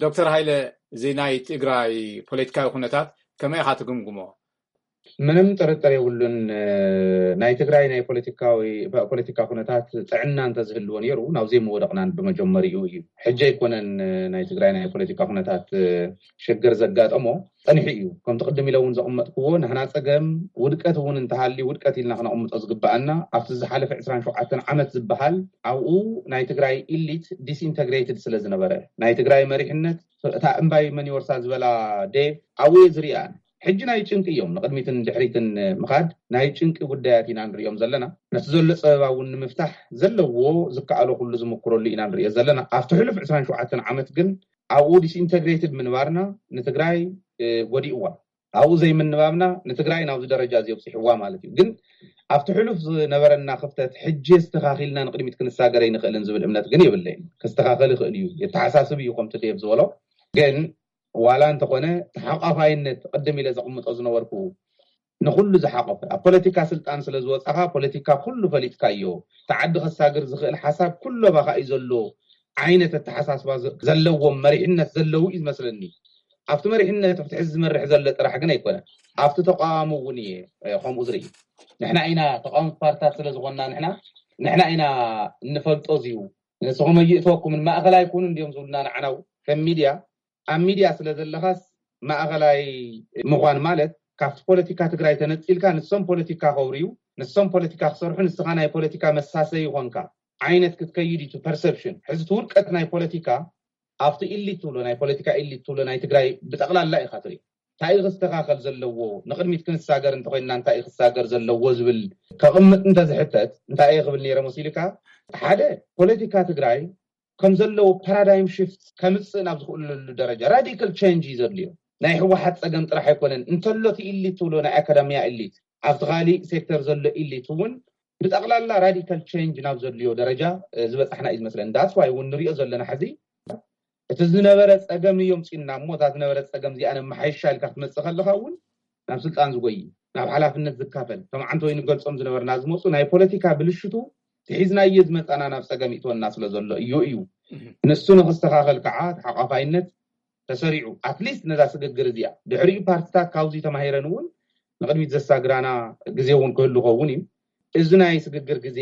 ዶክተር ሃይለ እዚ ናይ ትግራይ ፖለቲካዊ ኩነታት ከመይ ኢኻ ትግምግሞ? ምንም ጥርጥር የብሉን ናይ ትግራይ ናይ ፖለቲካዊ ፖለቲካ ኩነታት ጥዕና እንተዝህልዎ ነይሩ ናብዘይ ምወደቕናን ብመጀመሪኡ እዩ። ሕጂ ኣይኮነን ናይ ትግራይ ናይ ፖለቲካ ኩነታት ሽግር ዘጋጠሞ ፀኒሑ እዩ። ከምቲ ቅድም ኢለ እውን ዘቐመጥክዎ ናህና ፀገም ውድቀት እውን እንተሃልዩ ውድቀት ኢልና ክነቕምጦ ዝግበኣና ኣብቲ ዝሓለፈ ዕስራን ሸውዓተን ዓመት ዝበሃል ኣብኡ ናይ ትግራይ ኢሊት ዲስኢንተግሬትድ ስለ ዝነበረ ናይ ትግራይ መሪሕነት እታ እምባይ መን ይወርሳ ዝበላ ዴቭ ኣብኡ እየ ዝሪኣን። ሕጂ ናይ ጭንቂ እዮም ንቅድሚትን ድሕሪትን ምኻድ ናይ ጭንቂ ጉዳያት ኢና ንሪኦም ዘለና። ነቲ ዘሎ ፀበባ እውን ንምፍታሕ ዘለዎ ዝከኣሎ ኩሉ ዝምክረሉ ኢና ንሪኦ ዘለና። ኣብቲ ሕሉፍ ዕስራን ሸውዓተን ዓመት ግን ኣብኡ ዲስኢንተግሬትድ ምንባርና ንትግራይ ጎዲእዋ። ኣብኡ ዘይምንባብና ንትግራይ ናብዚ ደረጃ እዚ ኣብፂሕዋ ማለት እዩ። ግን ኣብቲ ሕሉፍ ዝነበረና ክፍተት ሕጂ ኣስተኻኺልና ንቕድሚት ክንሳገር ኣይንኽእልን ዝብል እምነት ግን የብለይን። ክስተኻኸል ይኽእል እዩ፣ የተሓሳስብ እዩ። ከምቲ ዴቭ ዝበሎ ግን ዋላ እንተኾነ ተሓቋፋይነት ቅድም ኢለ ዘቕምጦ ዝነበርኩ ንኹሉ ዝሓቆፈ፣ ኣብ ፖለቲካ ስልጣን ስለ ዝወፃኻ ፖለቲካ ኩሉ ፈሊጥካዮ፣ እቲ ዓዲ ከሳግር ዝኽእል ሓሳብ ኩሉ ኣባኻ እዩ ዘሎ ዓይነት ኣተሓሳስባ ዘለዎም መሪሕነት ዘለዉ እዩ ዝመስለኒ። ኣብቲ መሪሕነት ኣብቲ ሕዚ ዝመርሕ ዘሎ ጥራሕ ግን ኣይኮነን፣ ኣብቲ ተቃዋሚ እውን እየ ከምኡ ዝርኢ። ንሕና ኢና ተቃወምቲ ፓርትታት ስለ ዝኾንና ንሕና ንሕና ኢና እንፈልጦ እዚዩ። ንስኹም ኣይእተወኩምን፣ ማእኸል ኣይኮኑን እንዲዮም ዝብሉና ንዓናው ከም ሚድያ። ኣብ ሚድያ ስለ ዘለኻስ ማእኸላይ ምዃን ማለት ካብቲ ፖለቲካ ትግራይ ተነፂልካ ንሶም ፖለቲካ ከውርዩ፣ ንሶም ፖለቲካ ክሰርሑ፣ ንስኻ ናይ ፖለቲካ መሳሰይ ይኾንካ ዓይነት ክትከይድ እዩ ፐርሰፕሽን። ሕዚ እቲ ውድቀት ናይ ፖለቲካ ኣብቲ ኢሊት ትብሎ ናይ ፖለቲካ ኢሊት ትብሎ ናይ ትግራይ ብጠቕላላ ኢኻ ትርኢ። እንታይ እዩ ክስተኻኸል ዘለዎ፣ ንቕድሚት ክንሳገር እንተኮይንና እንታይ እዩ ክሳገር ዘለዎ ዝብል ከቕምጥ እንተዝሕተት እንታይ እየ ክብል ነይረ መሲልካ? ሓደ ፖለቲካ ትግራይ ከም ዘለዎ ፓራዳይም ሽፍት ከምፅእ ናብ ዝኽእለሉ ደረጃ ራዲካል ቸንጅ እዩ ዘድልዮ። ናይ ህወሓት ፀገም ጥራሕ ኣይኮነን እንተሎ እቲ ኢሊት ትብሎ ናይ ኣካዳሚያ ኢሊት ኣብቲ ካሊእ ሴክተር ዘሎ ኢሊት እውን ብጠቕላላ ራዲካል ቸንጅ ናብ ዘድልዮ ደረጃ ዝበፃሕና እዩ ዝመስለኒ። ዳትስ ዋይ እውን ንሪኦ ዘለና ሕዚ እቲ ዝነበረ ፀገም እዮም ፅና እሞ እዛ ዝነበረ ፀገም እዚኣ ነመሓይሻ ኢልካ ክትመፅእ ከለካ እውን ናብ ስልጣን ዝጎይ ናብ ሓላፍነት ዝካፈል ከም ዓንተ ወይ ንገልፆም ዝነበርና ዝመፁ ናይ ፖለቲካ ብልሽቱ ትሒዝናዮ ዝመፃና ናብ ፀገም ይእትወና ስለ ዘሎ እዩ እዩ ንሱ ንክስተኻኸል ከዓ ተሓቋፋይነት ተሰሪዑ ኣትሊስት ነዛ ስግግር እዚኣ ድሕሪኡ ፓርትታት ካብዚ ተማሂረን እውን ንቅድሚት ዘሳግራና ግዜ እውን ክህሉ ከውን እዩ። እዚ ናይ ስግግር ግዜ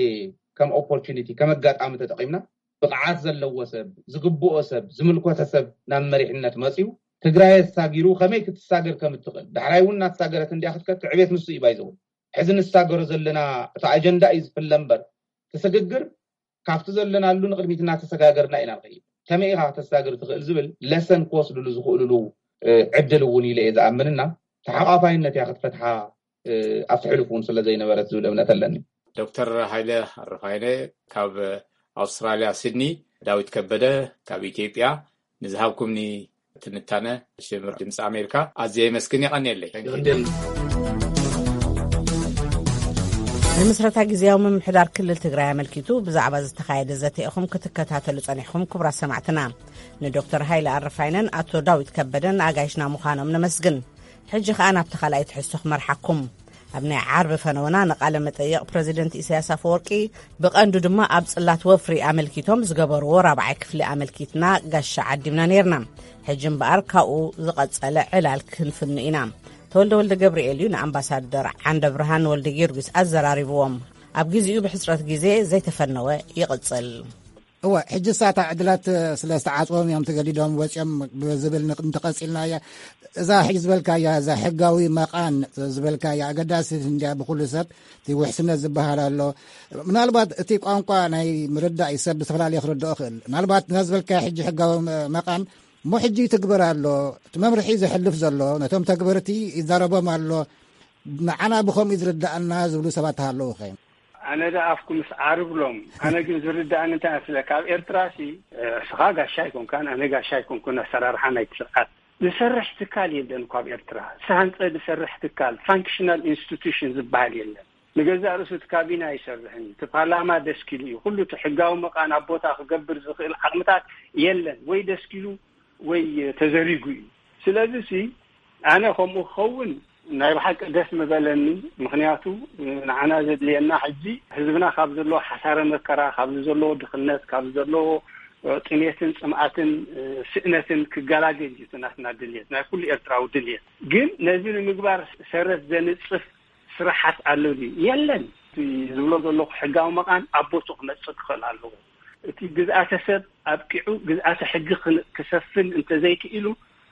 ከም ኦፖርቹኒቲ ከም ኣጋጣሚ ተጠቂምና ብቕዓት ዘለዎ ሰብ ዝግብኦ ሰብ ዝምልኮተ ሰብ ናብ መሪሕነት መፅዩ ትግራይ ኣሳጊሩ ከመይ ክትሳገር ከም እትኽእል ዳሕራይ እውን እናተሳገረት እንዲያ ክትከት ዕቤት ንሱ እዩ ባይዘው ሕዚ ንሳገሮ ዘለና እቲ ኣጀንዳ እዩ ዝፍለ እምበር እቲ ስግግር ካብቲ ዘለናሉ ንቅድሚት እናተሰጋገርና ኢና ንኸይድ። ከመይ ኢኻ ከተሳግር ትኽእል ዝብል ለሰን ክወስድሉ ዝኽእልሉ ዕድል እውን ኢለ እየ ዝኣምንና ተሓቋፋይነት እያ ክትፈትሓ ኣብቲ ሕሉፍ እውን ስለ ዘይነበረት ዝብል እምነት ኣለኒ። ዶክተር ሃይለ ኣረፋይነ ካብ ኣውስትራልያ ሲድኒ፣ ዳዊት ከበደ ካብ ኢትዮጵያ ንዝሃብኩምኒ ትንታነ ሽምር ድምፂ ኣሜሪካ ኣዝየ የመስግን። የቐንየለይ። ንምስረታ ግዜያዊ ምምሕዳር ክልል ትግራይ ኣመልኪቱ ብዛዕባ ዝተኻየደ ዘተ ኢኹም ክትከታተሉ ጸኒሕኩም ክቡራት ሰማዕትና። ንዶክተር ሃይለ ኣረፋይነን ኣቶ ዳዊት ከበደን ኣጋይሽና ምዃኖም ነመስግን። ሕጂ ከኣ ናብቲ ካልኣይ ትሕዝቶ ክመርሓኩም። ኣብ ናይ ዓርቢ ፈነወና ንቃለ መጠይቕ ፕረዚደንት ኢሳያስ ኣፈወርቂ ብቐንዱ ድማ ኣብ ጽላት ወፍሪ ኣመልኪቶም ዝገበርዎ ራብዓይ ክፍሊ ኣመልኪትና ጋሻ ዓዲምና ነይርና። ሕጂ እምበኣር ካብኡ ዝቐጸለ ዕላል ክንፍኑ ኢና። ተወልደ ወልደ ገብርኤል እዩ ንኣምባሳደር ዓንደ ብርሃን ወልደ ጊዮርጊስ ኣዘራሪብዎም። ኣብ ግዜኡ ብሕጽረት ግዜ ዘይተፈነወ ይቕጽል። እወ፣ ሕጂ ሳታ ዕድላት ስለ ዝተዓጽቦም እዮም ተገዲዶም ወጺኦም ብዝብል ንቅ- እንተቐጺልናያ እዛ ሕጂ ዝበልካያ እዛ ሕጋዊ መቓን ዝበልካያ ኣገዳሲ እንድያ ብኩሉ ሰብ እቲ ውሕስነት ዝበሃል ኣሎ። ምናልባት እቲ ቋንቋ ናይ ምርዳእ እዩ ሰብ ዝተፈላለየ ክርድኦ ይኽእል። ምናልባት ነዛ ዝበልካያ ሕጂ ሕጋዊ መ- መቓን እሞ ሕጂ ይትግበር ኣሎ እቲ መምርሒ ዘሕልፍ ዘሎ ነቶም ተግበርቲ ይዛረቦም ኣሎ። ንዓና ብኸምኡ ዝርዳኣና ዝብሉ ሰባት ኣለዉ ኸ? ኣነ ደኣ ኣፍኩምስ ዓርብሎም። ኣነ ግን ዝርዳእኒ እንታይ መስለካ፣ ኣብ ኤርትራሲ እስኻ ጋሻ ኣይኮንካን ኣነ ጋሻ ኣይኮንኩን። ኣሰራርሓ ናይቲ ስርዓት ዝሰርሕ ትካል የለን እኮ ኣብ ኤርትራ። ዝተሃንጸ ዝሰርሕ ትካል፣ ፋንክሽናል ኢንስቲቱሽን ዝበሃል የለን። ንገዛእ ርእሱ እቲ ካቢነ ኣይሰርሕን እዩ። እቲ ፓርላማ ደስኪሉ እዩ። ኩሉ እቲ ሕጋዊ መቓን ኣብ ቦታ ክገብር ዝኽእል ዓቕምታት የለን። ወይ ደስኪሉ ወይ ተዘሪጉ እዩ። ስለዚ ሲ ኣነ ከምኡ ክኸውን ናይ ብሓቂ ደስ ምበለኒ። ምኽንያቱ ንዓና ዘድልየና ሕጂ ህዝብና ካብ ዘለዎ ሓሳረ መከራ፣ ካብ ዘለዎ ድኽነት፣ ካብ ዘለዎ ጥሜትን ጽምኣትን ስእነትን ክገላገል እዩ እቲ ናትና ድልየት፣ ናይ ኩሉ ኤርትራዊ ድልየት። ግን ነዚ ንምግባር ሰረት ዘንጽፍ ስራሓት ኣሎ ድዩ? የለን። ዝብሎ ዘለኹ ሕጋዊ መቓን ኣብ ቦቱ ክመጽእ ክኽእል ኣለዎ። እቲ ግዝኣተ ሰብ ኣብቂዑ ግዝኣተ ሕጊ ክሰፍን እንተዘይክኢሉ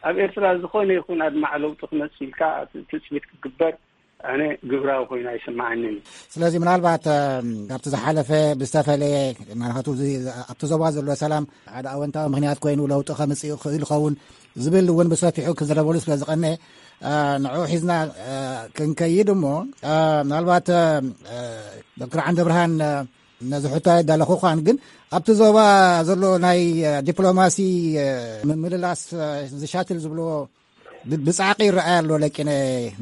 ኣብ ኤርትራ ዝኾነ ይኹን ኣድማዕ ለውጢ ክመጽእ ኢልካ ትጽቢት ክግበር ኣነ ግብራዊ ኮይኑ ኣይስምዓንን። ስለዚ ምናልባት ካብቲ ዝሓለፈ ብዝተፈለየ ማለቱ ኣብቲ ዞባ ዘሎ ሰላም ሓደ ኣወንታዊ ምክንያት ኮይኑ ለውጢ ከምፅእ ይኽእል ይኸውን ዝብል እውን ብሰፊሑ ክዝረበሉ ስለ ዝቐነ ንዕኡ ሒዝና ክንከይድ እሞ ምናልባት ዶክተር ዓንደብርሃን ነዚ ሕቶ ኣይዳለኹ ኳን ግን ኣብቲ ዞባ ዘሎ ናይ ዲፕሎማሲ ምምልላስ ዝሻትል ዝብልዎ ብ-፣ ብጻዕቂ ይረኣይ ኣሎ። ለቂነ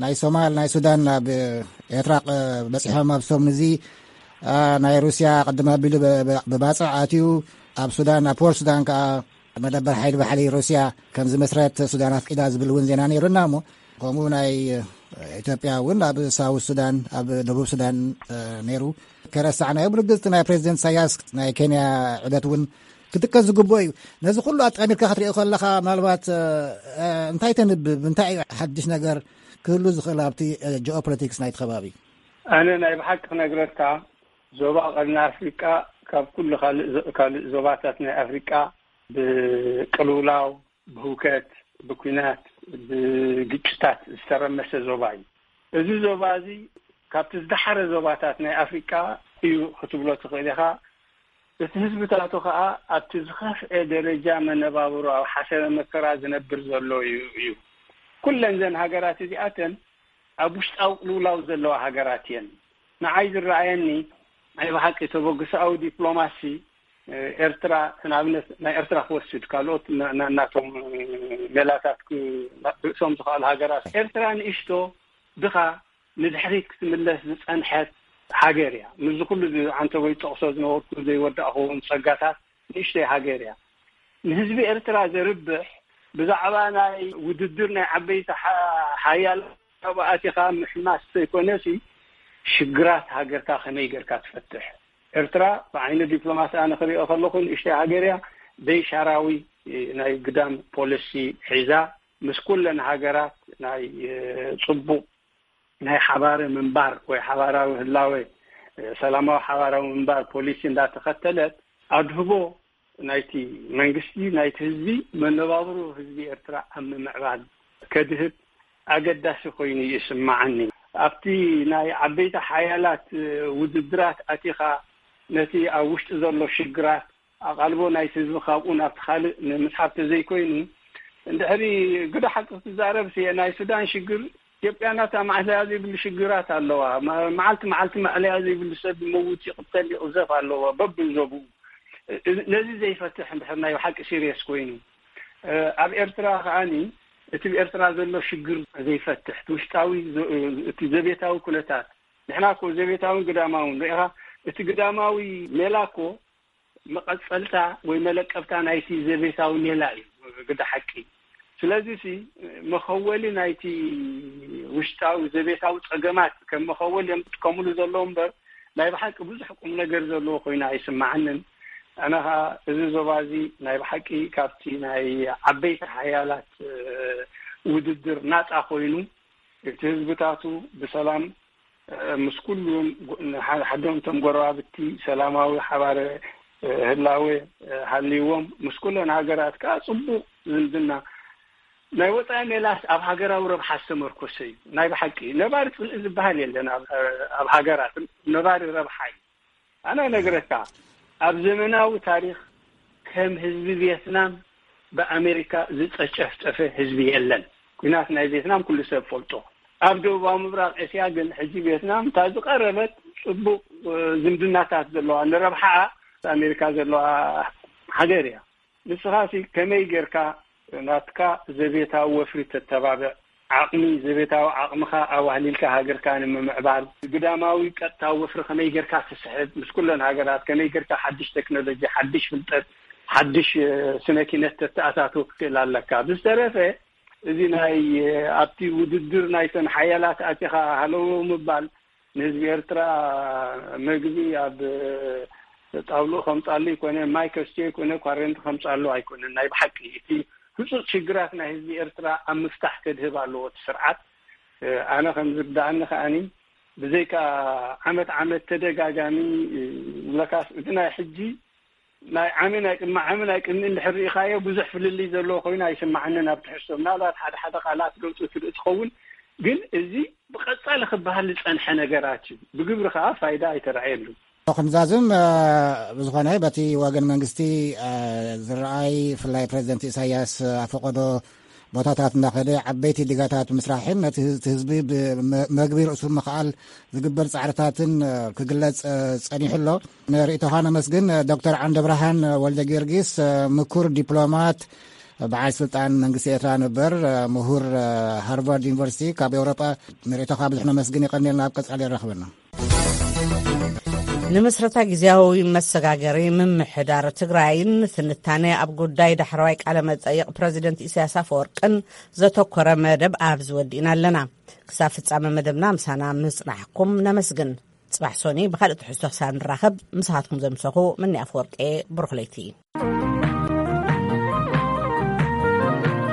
ናይ ሶማል፣ ናይ ሱዳን ናብ ኤርትራ ቅ-፣ በጺሖም ኣብ ሰሙን እዚ፣ ኣ፣ ናይ ሩስያ ቅድም ኣቢሉ ብ-፣ ብ-፣ ብባጽዕ ኣትዩ ኣብ ሱዳን፣ ኣብ ፖርት ሱዳን ከኣ መደበር ሓይሊ ባሕሪ ሩስያ ከም ዝመስረት ሱዳን ኣፍቂዳ ዝብል እውን ዜና ነይሩና እሞ፣ ከምኡ ናይ ኢትዮጵያ እውን ኣብ ሳውት ሱዳን፣ ኣብ ደቡብ ሱዳን፣ እ፣ ነይሩ። ከረሳዕናዮ ብርግጽ ናይ ፕሬዚደንት ኢሳያስ ናይ ኬንያ ዕደት እውን ክጥቀስ ዝግብኦ እዩ። ነዚ ኩሉ ኣጣሚርካ ክትሪኦ ከለኻ ምናልባት፣ እ፣ እ፣ እንታይ ተንብብ? እንታይ እዩ ሓድሽ ነገር ክህሉ ዝኽእል ኣብቲ፣ እ፣ ጂኦፖለቲክስ ናይቲ ከባቢ? ኣነ ናይ ብሓቂ ክነግረካ፣ ዞባ ቀርኒ ኣፍሪቃ ካብ ኩሉ ካልእ ዞ-፣ ካልእ ዞባታት ናይ ኣፍሪቃ ብቅልውላው፣ ብህውከት፣ ብኲናት፣ ብግጭታት ዝተረመሰ ዞባ እዩ። እዚ ዞባ እዚ ካብቲ ዝደሓረ ዞባታት ናይ ኣፍሪቃ እዩ ክትብሎ ትኽእል ኢኻ። እቲ ህዝብታቱ ኸኣ ኣብቲ ዝኸፍአ ደረጃ መነባብሮ ኣብ ሓሰረ መከራ ዝነብር ዘሎ እዩ፣ እዩ። ኩለን ዘን ሃገራት እዚኣተን ኣብ ውሽጣዊ ቅልውላው ዘለዋ ሃገራት እየን። ንዓይ ዝረኣየኒ ናይ ብሓቂ ተበግሶኣዊ ዲፕሎማሲ፣ እ፣ ኤርትራ፣ ንኣብነት ናይ ኤርትራ ክወስድ፣ ካልኦት ና-፣ ና-፣ ናቶም፣ እ፣ ሜላታት ክ-፣ ርእሶም ዝኽኣሉ ሃገራት። ኤርትራ ንእሽቶ ድኻ ንድሕሪት ክትምለስ ዝጸንሐት ሃገር እያ። ምስዚ ኩሉ ዝ-፣ ዓንተቦይ ዝጠቕሶ ዝነበርኩ ዘይወዳእኹ እውን ጸጋታት ንእሽተይ ሃገር እያ። ንህዝቢ ኤርትራ ዘርብሕ ብዛዕባ ናይ ውድድር ናይ ዓበይቲ ሓ-፣ ሓያል ካብኡ ኣቲኻ ምሕማስ ዘይኮነሲ ሽግራት ሃገርካ ከመይ ጌርካ ትፈትሕ? ኤርትራ ብዓይኒ ዲፕሎማሲ ኣነ ክሪኦ ከለኹ ንእሽተይ ሃገር እያ። ዘይሻራዊ ናይ ግዳም ፖሊሲ ሒዛ ምስ ኩለን ሃገራት ናይ፣ እ፣ ጽቡቕ ናይ ሓባር ምንባር ወይ ሓባራዊ ህላወ፣ እ፣ ሰላማዊ ሓባራዊ ምንባር ፖሊሲ እንዳተኸተለት ኣድህቦ ናይቲ መንግስቲ፣ ናይቲ ህዝቢ፣ መነባብሮ ህዝቢ ኤርትራ ኣብ ምምዕባል ከድህብ ኣገዳሲ ኮይኑ ይስምዓኒ። ኣብቲ ናይ ዓበይቲ ሓያላት ውድድራት ኣቲኻ ነቲ ኣብ ውሽጢ ዘሎ ሽግራት ኣቓልቦ ናይቲ ህዝቢ ካብኡ ናብቲ ካልእ ንምስሓብ ተዘይኮይኑ፣ እንድሕሪ ግደ ሓቂ ክትዛረብ ሲ፣ ናይ ሱዳን ሽግር ኢትዮጵያ ናታ ማዕለያ ዘይብሉ ሽግራት ኣለዋ። መ-፣ መዓልቲ መዓልቲ ማዕለያ ዘይብሉ ሰብ ይመውት፣ ይቕተል፣ ይቕዘፍ ኣለዎ በብዞብኡ። እ-፣ ነዚ ዘይፈትሕ እንድሕር ናይ ብሓቂ ሲሪየስ ኮይኑ፣ እ፣ ኣብ ኤርትራ ከኣኒ እቲ ብኤርትራ ዘሎ ሽግር ዘይፈትሕ፣ እቲ ውሽጣዊ ዘ-፣ እቲ ዘቤታዊ ኩነታት፣ ንሕና እኮ ዘቤታውን ግዳማውን ርኢኻ፣ እቲ ግዳማዊ ሜላ እኮ መቐጸልታ ወይ መለቀብታ ናይቲ ዘቤታዊ ሜላ እዩ ግደ ሓቂ። ስለዚ ሲ መኸወሊ ናይቲ ውሽጣዊ ዘቤታዊ ጸገማት ከም መኸወሊ እዮም ዝጥቀምሉ ዘለዉ እምበር፣ ናይ ብሓቂ ብዙሕ ቁም ነገር ዘለዎ ኮይኑ ኣይስምዓንን። ኣነ ኸኣ እዚ ዞባ እዚ ናይ ብሓቂ ካብቲ ናይ ዓበይቲ ሓያላት፣ እ፣ ውድድር ናጻ ኮይኑ፣ እቲ ህዝብታቱ ብሰላም፣ እ፣ ምስ ኩሉም ጎ-፣ ንሓ-፣ ሓዶምቶም ጎረባብቲ ሰላማዊ ሓባረ፣ እ፣ ህላወ፣ እ፣ ሃልይዎም፣ ምስ ኩለን ሃገራት ከኣ ጽቡቕ ዝምድና፣ ናይ ወጻኢ ሜላስ ኣብ ሃገራዊ ረብሓ ዝተመርኮሰ እዩ። ናይ ብሓቂ ነባሪ ጽልኢ ዝበሃል የለን ኣብ፣ ኣብ ሃገራት፣ ነባሪ ረብሓ እዩ። ኣነ ነግረካ፣ ኣብ ዘመናዊ ታሪኽ ከም ህዝቢ ቪየትናም ብኣሜሪካ ዝጨፍጨፈ ህዝቢ የለን። ኲናት ናይ ቪየትናም ኩሉ ሰብ ፈልጦ። ኣብ ደቡባዊ ምብራቕ እስያ ግን ሕጂ ቪየትናም እታ ዝቐረበት ጽቡቕ፣ እ፣ ዝምድናታት ዘለዋ፣ ንረብሓኣ ኣሜሪካ ዘለዋ ሃገር እያ። ንስኻሲ ከመይ ጌርካ ናትካ ዘቤታዊ ወፍሪ ተተባብዕ? ዓቕሚ፣ ዘቤታዊ ዓቕምኻ ኣዋህሊልካ ሃገርካ ንምምዕባል፣ ግዳማዊ ቀጥታዊ ወፍሪ ከመይ ጌርካ ትስሕብ? ምስ ኩለን ሃገራት ከመይ ጌርካ ሓድሽ ቴክኖሎጂ፣ ሓድሽ ፍልጠት፣ ሓድሽ፣ እ፣ ስነ ኪነት ተተኣታትው ክትክእል ኣለካ። ብዝተረፈ፣ እዚ ናይ፣ እ፣ ኣብቲ ውድድር ናይተን ሓያላት ኣቲኻ ሃለው ምባል፣ ንህዝቢ ኤርትራ መግቢ ኣብ ጣውልኡ ከምጻሉ ይኮነ፣ ማይ ከስትዮ ይኮነ፣ ኳረንቲ ከምጻሉ ኣይኮነን። ናይ ብሓቂ እቲ ህጹጽ ሽግራት ናይ ህዝቢ ኤርትራ ኣብ ምፍታሕ ከድህብ ኣለዎ እቲ ስርዓት። ኣነ ከም ዝርድኣኒ ከኣኒ፣ ብዘይካ ዓመት ዓመት ተደጋጋሚ፣ ለካስ እቲ ናይ ሕጂ ናይ ዓሚ ናይ ቅድሚ ዓሚ ናይ ቅድሚ እንድሕር ርኢኻዮ ብዙሕ ፍልልይ ዘለዎ ኮይኑ ኣይስምዓንን ኣብ ትሕዝቶ። ምናልባት ሓደ ሓደ ቃላት ገጹ ትርኢ ትኸውን፣ ግን እዚ ብቐጻሊ ክበሃል ዝጸንሐ ነገራት እዩ። ብግብሪ ከኣ ፋይዳ ኣይተራእየሉ። ክንዛዝም፣ እ፣ ብዝኾነ በቲ ወገን መንግስቲ፣ እ፣ ዝረኣይ፣ ብፍላይ ፕሬዚደንት ኢሳያስ ኣፈቀዶ ቦታታት እናኸደ ዓበይቲ ዲጋታት ምስራሕን ነቲ ህዝ-፣ ህዝቢ ብመ-፣ መግቢ ርእሱ ምኽኣል ዝግበር ጻዕርታትን፣ እ፣ ክግለጽ፣ እ፣ ጸኒሑ ኣሎ። ንርእይቶኻ ነመስግን። ዶክተር ዓንደብርሃን ወልደ ጊዮርጊስ፣ እ፣ ምኩር ዲፕሎማት፣ በዓል ስልጣን መንግስቲ ኤርትራ ነበር፣ ምሁር ሃርቫርድ ዩኒቨርሲቲ ካብ ኤውሮጳ ንርእይቶኻ ብዙሕ ነመስግን። የቐንየልና። ኣብ ቀጻሊ የራኽበና። ንምስረታ ግዜያዊ መሰጋገሪ ምምሕዳር ትግራይን ትንታነ ኣብ ጉዳይ ዳሕረዋይ ቃለ መጠይቕ ፕረዚደንት ኢሳያስ ኣፈወርቅን ዘተኮረ መደብ ኣብዚ ወዲእና ኣለና። ክሳብ ፍጻመ መደብና ምሳና ምጽናሕኩም ነመስግን። ጽባሕ ሶኒ ብኻልእ ትሕዝቶ ክሳብ ንራኸብ፣ ምሳኻትኩም ዘምሰኹ ምኒ ኣፈወርቄ። ብሩኽ ለይቲ።